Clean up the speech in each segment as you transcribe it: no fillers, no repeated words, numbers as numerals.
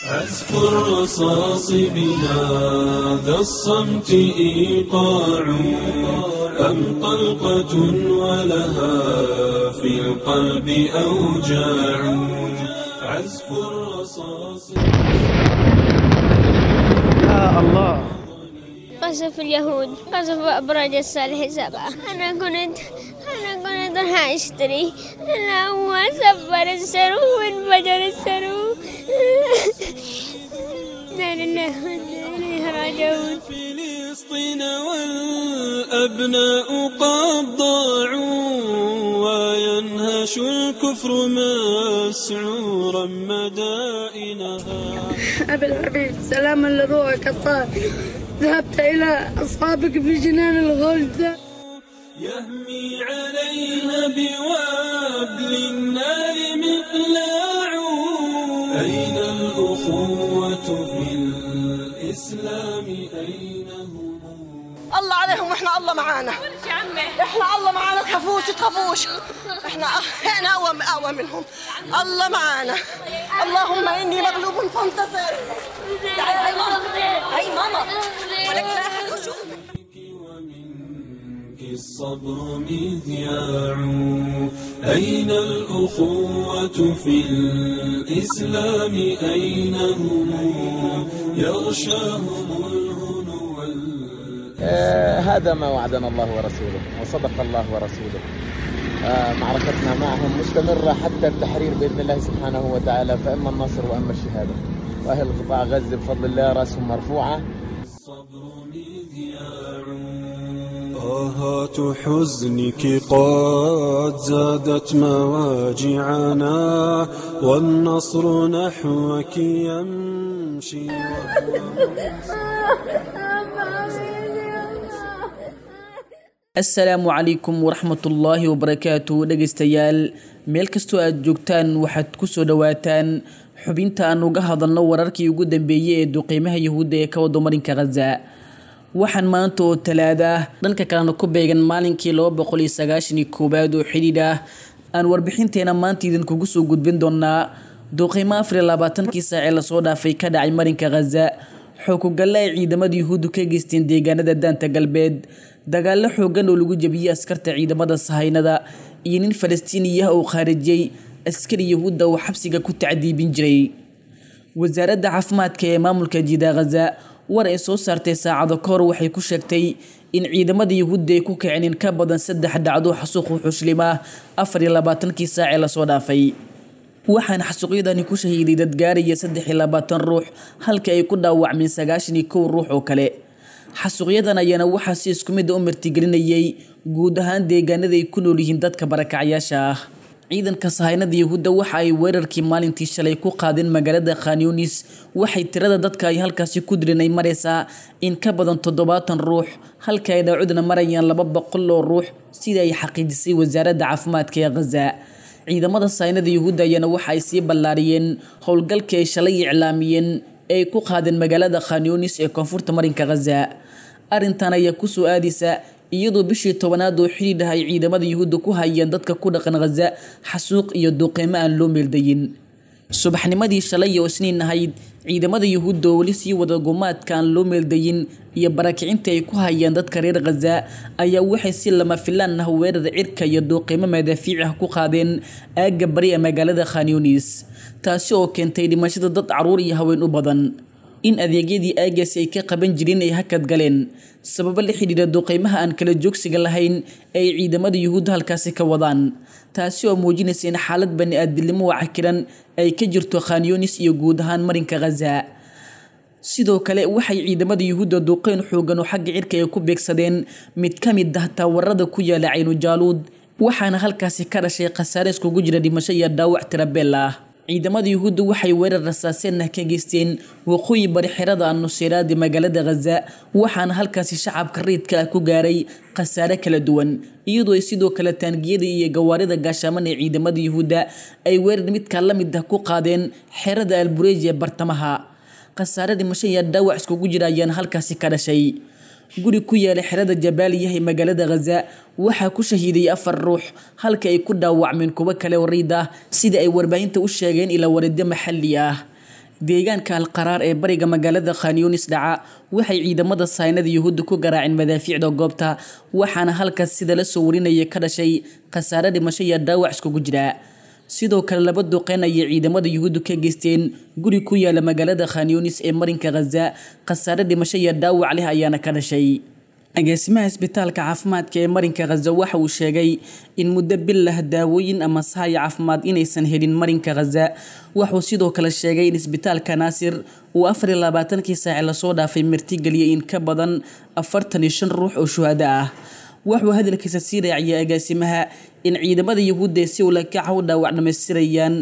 عزف الرصاص بهذا الصمت إيقاع أم طلقة ولها في القلب أوجاع عزف الرصاص. يا الله، قصف اليهود، قصف أبراج الصالح 7. أنا كنت راح أشتري، أنا هو سفر السرو وانفجر السرو. لا لله إليه راجعون. فلسطين والأبناء قد ضاعوا وينهش الكفر مسعورا مدائنها. أبي الحبيب، سلاما لروحك الطاهر، ذهبت إلى أصحابك في جنان الغلد. يهمي عليها بوابل النار مقلاع. أين الأخوة في الإسلام أين هم؟ الله عليهم واحنا الله معانا، احنا الله معانا، تخافوش تخافوش، احنا اقوى منهم، الله معانا. اللهم اني مغلوب فانتصر. تعالي هاي ماما، هاي ماما، ولك لا احد يشوفك. الصبر مذياع. أين الأخوة في الإسلام أين هم؟ يغشاهم الهنو. هذا ما وعدنا الله ورسوله وصدق الله ورسوله. معركتنا معهم مستمرة حتى التحرير بإذن الله سبحانه وتعالى، فإما النصر وإما الشهادة. وأهل قطاع غزة بفضل الله رأسهم مرفوعة. الصبر مذياع. آهات حزنك قد زادت مواجعنا والنصر نحوك يمشي. Asalaamu calaykum waraxmatullaahi wabarakaatu. Dhegeystayaal, meel kastoo aad joogtaan waxaad kusoo dhawaataan xubinta aan uga hadalno wararkii ugu dambeeyey ee duqeymaha Yahuudda ee ka wado marinka Gaza. Waxaan maanta oo Talaada ah, dhanka kalena ku beegan maalinkii 291aad oo xidhiidh ah, aan warbixinteena maanta idinkugu soo gudbin doonaa duqeymo 24kii saac ee lasoo dhaafay ka dhacay marinka Gaza, xookugalle ay ciidamada Yuhuuddu ka geysteen deegaanada Daanta Galbeed, dagaallo xoogan oo lagu jebiyey askarta ciidamada Sahaynada, iyo nin Falastiiniya oo khaarijiyey askari Yahuudda oo xabsiga ku tacdiibin jiray. Wasaaradda caafimaadka ee maamulka Jida Gaza war ay soo saartay saacado ka hor waxay ku sheegtay in ciidamada Yuhuudda ay ku kaceen in ka badan 3 dhacdo xasuuq xuslima 24kii saac ee lasoo dhaafay. Waxaana xasuuqyadani ku shahiiday dad gaaraya 23 ruux, halka ay ku dhaawacmeen 91 ruux oo kale. Xasuuqyadan ayaana waxaa si isku mid ah u martigelinayay guud ahaan deegaanada ay ku nool yihiin dadka barakacyaasha ah. Ciidanka Sahaynada Yahuudda waxa ay weerarkii maalintii shalay ku qaadeen magaalada Khan Yunis. Waxay tirada dadka ay halkaasi ku dileen ay maraysaa in ka badan 70 ruux, halka ay dhaawacduna marayaan 200 oo ruux, sida ay xaqiijisay wasaaradda caafimaadka ee Gaza. Ciidamada Sahaynada Yahuudda ayaana waxa ay sii ballaariyeen howlgalkii ay shalay iclaamiyeen ee ay ku qaadeen magaalada Khan Yunis ee koonfurta marinka Gaza. Arrintan ayaa ku soo aadaysa iyadoo bishii 10aad oo xidhiidh ah ay ciidamada Yuhuudda ku hayeen dadka ku dhaqan Gaza xasuuq iyo duqeymo aan loo meeldayin. Subaxnimadii shalay oo Isniin ahayd, ciidamada Yuhuudda oo weli sii wada gumaadka aan loo meeldayin iyo barakicinta ay ku hayeen dadka reer Gaza ayaa waxay si lama filaan ah weerar cirka iyo duqeymo madaafiic ah ku qaadeen aagga bari ee magaalada Khan Yunis, taasi oo keentay dhimashada dad caruur iyo haween u badan. In adeegyadii aaggaasi ay ka qaban jireen ay hakad galeen sababo la xidhiidha duqeymaha aan kala joogsiga lahayn ay ciidamada Yuhuudda halkaasi ka wadaan, taasi oo muujinaysa in xaalad bani-aadamnimo oo cakiran ay ka jirto Khan Yunis iyo guud ahaan marinka Gaza. Sidoo kale waxay ciidamada Yuhuudda duqeyn xoogan oo xagga cirka ay ku beegsadeen mid ka mid ah taawarada ku yaala Caynu Jaaluud, waxaana halkaasi ka dhashay khasaare iskugu jira dhimasho iyo dhaawac tirabeel ah. Ciidamada Yuhuudda waxay weerar rasaaseen ah ka geysteen waqooyi bari xerada An-Nusayraad ee magaalada Gaza, waxaana halkaasi shacabka rayidka ah ku gaaray khasaare kala duwan, iyadoo ay sidoo kale taangiyada iyo gawaarida gaashaaman ee ciidamada Yuhuudda ay weerar midka la mid ah ku qaadeen xerada Al-Bureij ee bartamaha. Khasaare dhimasho iyo dhaawac iskugu jira ayaana halkaasi ka dhashay. Guri ku yaala xerada Jabaaliya ee magaalada Gaza waxaa ku shahiiday 4 ruux, halka ay ku dhaawacmeen kuwo kale oo riid ah, sida ay warbaahinta u sheegeen ilaa wareedyo maxalli ah. Deegaanka Alqaraar ee bariga magaalada Khan Yunis dhaca waxay ciidamada saynada Yuhuudda ku garaaceen madaafiicda goobta, waxaana halkaas sida la soo warinaya ka dhashay khasaare dhimasho iyo dhaawac iskugu jira. Sidoo kale laba duqeyn ayay ciidamada Yuhuuddu ka geysteen guri ku yaala magaalada Khan Yunis ee marinka Gaza, khasaare dhimasho iyo dhaawac leh ayaana ka dhashay. Agaasimaha isbitaalka caafimaadka ee marinka Gaza waxa uu sheegay in muddo bil ah daawooyin ama sahay caafimaad inaysan helin marinka Gaza. Wuxuu sidoo kale sheegay in isbitaalka Naasir uu 24kii saac lasoo dhaafay martigeliyay in ka badan 45 ruux oo shuhada ah. Wuxuu hadalkiisa sii raaciyay agaasimaha in ciidamada Yuhuudda si ula kac u dhaawac dhamaystirayaan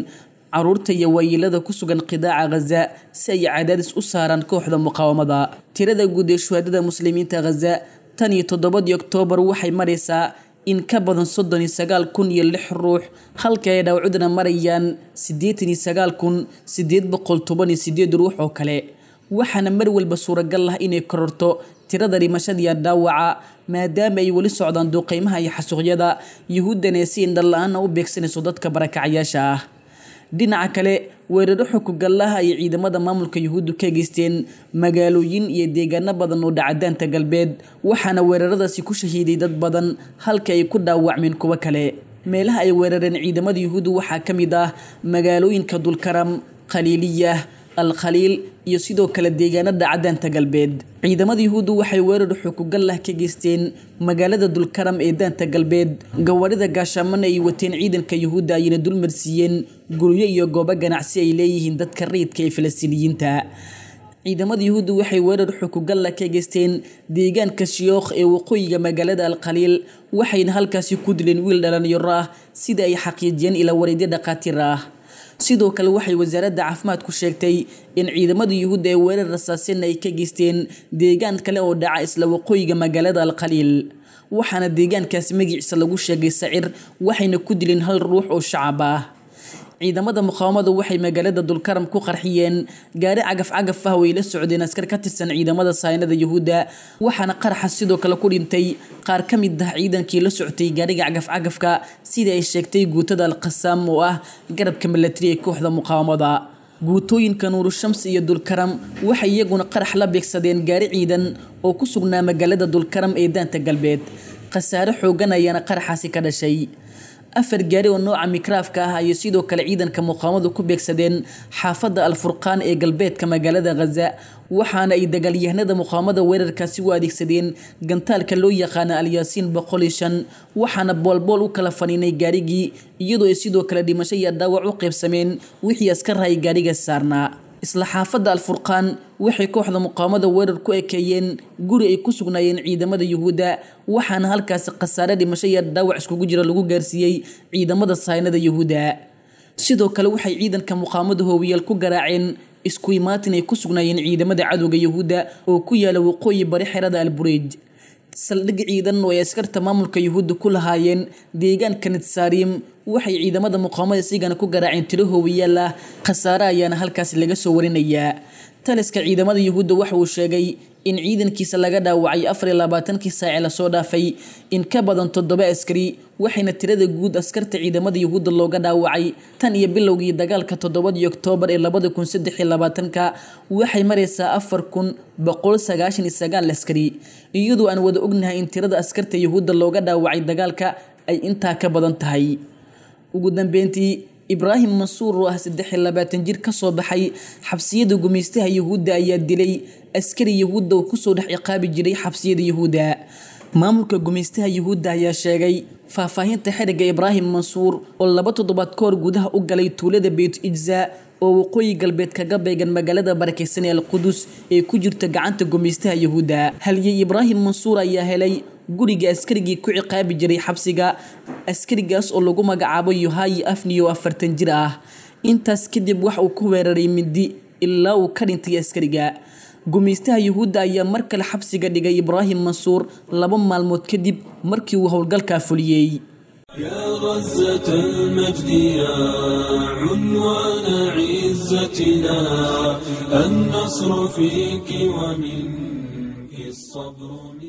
caruurta iyo waayeelada ku sugan qidaaca Gaza si ay cadaadis u saaraan kooxda muqaawamada. Tirada guud ee shuhadada muslimiinta Gaza tan iyo 7dii Oktoobar waxay maraysaa in ka badan 39,006 ruux, halka ay dhaawacduna marayaan 89,818 ruux oo kale. Waxaana mar walba suuragal ah inay kororto tirada dhimashada iyo dhaawaca maadaama ay weli socdaan duqeymaha iyo xasuuqyada Yuhuuddana ee si indho la'aan ah u beegsanayso dadka barakacayaasha ah. Dhinaca kale, weeraro xukugallaha ay ciidamada maamulka Yuhuuddu ka geysteen magaalooyin iyo deegaano badan oo dhaca daanta galbeed, waxaana weeraradaasi ku shahiiday dad badan halka ay ku dhaawacmeen kuwo kale. Meelaha ay weerareen ciidamada Yuhuuddu waxaa ka mid ah magaalooyinka Dulkaram, Khaliiliyah, Al-Khaliil iyo sidoo kale deegaanada daanta galbeed. Ciidamada Yuhuuddu waxay weerar xukugallah ka geysteen magaalada Dulkaram ee daanta galbeed. Gawaarida gaashaamana ay wateen ciidanka Yuhuudda ayna dulmarsiiyeen guryo iyo goobo ganacsi ay leeyihiin dadka rayidka ee Falastiiniyiinta. Ciidamada Yuhuuddu waxay weerar xukugallah ka geysteen deegaanka Shiyookh ee waqooyiga magaalada Al-Khaliil, waxayna halkaasi ku dileen wiil dhalinyaro ah sida ay xaqiijiyeen ila wareedyo dhaqaatiir ah. Sidoo kale waxay wasaaradda caafimaadku sheegtay in ciidamada Yuhuudda ee weerar rasaaseen ay ka geysteen deegaan kale oo dhaca isla waqooyiga magaalada Al-Khaliil, waxaana deegaankaasi magaciisa lagu sheegay Sacir, waxayna ku dileen hal ruux oo shacab ah. Ciidamada muqaawamadu waxay magaalada Dulkaram ku qarxiyeen gaari cagaf-cagaf ah oo ay la socdeen askar ka tirsan ciidamada saynada Yuhuudda, waxaana qaraxa sidoo kale ku dhintay qaar ka mid ah ciidankii la socotay gaariga cagaf-cagafka, sida ay sheegtay guutada Al-Qassam oo ah garabka milatari ee kooxda muqaawamada. Guutooyinka Nuuru Shams iyo Dulkaram waxay iyaguna qarax la beegsadeen gaari ciidan oo ku sugnaa magaalada Dulkaram ee daanta galbeed. Khasaare xooggan ayaana qaraxaasi ka dhashay. 4 gaari oo nooca mikraafka ah ayay sidoo kale ciidanka muqaawamadu ku beegsadeen xaafadda Al-Furqaan ee galbeedka magaalada Gaza, waxaana ay dagaalyahanada muqaawamada weerarkaasi u adeegsadeen gantaalka loo yaqaano Al-Yaasiin 105, waxaana boolbool u kala faniinay gaarigii, iyadoo ay sidoo kale dhimasho iyo dhaawac u qaybsameen wixii askar ay gaariga saarnaa. Isla xaafadda Al-Furqaan waxay kooxda muqaawamada weerar ku ekeeyeen guri ay ku sugnaayeen ciidamada Yuhuudda, waxaana halkaasi khasaare dhimasho iyo dhaawac iskugu jira lagu gaarsiiyey ciidamada saynada Yuhuudda. Sidoo kale waxay ciidanka muqaawamada hoowiyaal ku garaaceen isku imaatin ay ku sugnaayeen ciidamada cadowga Yuhuudda oo ku yaala waqooyi bari xerada Al-Bureij. Saldhig ciidan oo ay askarta maamulka Yuhuudda ku lahaayeen deegaanka Nitsaarim waxay ciidamada muqaawamada isigana ku garaaceen tiro hoowiyaal ah, khasaare ayaana halkaasi laga soo warinayaa. Taliska ciidamada Yuhuudda waxa uu sheegay in ciidankiisa laga dhaawacay 24kii saac lasoo dhaafay in ka badan 7 askari, waxayna tirada guud askarta ciidamada Yuhuudda looga dhaawacay tan iyo bilowgii dagaalka 7dii Oktoobar ee 2023 waxay maraysaa 4,199 askari, iyadoo aan wada ognahay in tirada askarta Yuhuudda looga dhaawacay dagaalka ay intaa ka badan tahay. Ugu dambeyntii, Ibraahim Mansuur oo ah 23 jir ka soo baxay xabsiyada gumaystaha Yuhuudda ayaa dilay askari Yuhuudda oo kusoo dhex ciqaabi jiray xabsiyada Yuhuudda. Maamulka gumaystaha Yuhuudda ayaa sheegay faahfaahinta xiriga Ibraahim Mansuur oo 2 toddobaad ka hor gudaha u galay tuulada Beit Ijza oo waqooyi galbeed kaga beegan magaalada barakeysan ee Al-Qudus ee ku jirta gacanta gumaystaha Yuhuudda. Halyey Ibraahim Mansuur ayaa helay guriga askarigii ku ciqaabi jiray xabsiga, askarigaas oo lagu magacaabo Yohayi Afni oo 40 jir ah. Intaas kadib wax uu ku weeraray mindi ilaa uu ka dhintay askariga. Gumaystaha Yuhuudda ayaa mar kale xabsiga dhigay Ibraahim Mansuur 2 maalmood kadib markii uu howlgalkaa fuliyey. يا غزة المجد يا عنوان عزتنا، النصر فيك ومنك الصبر.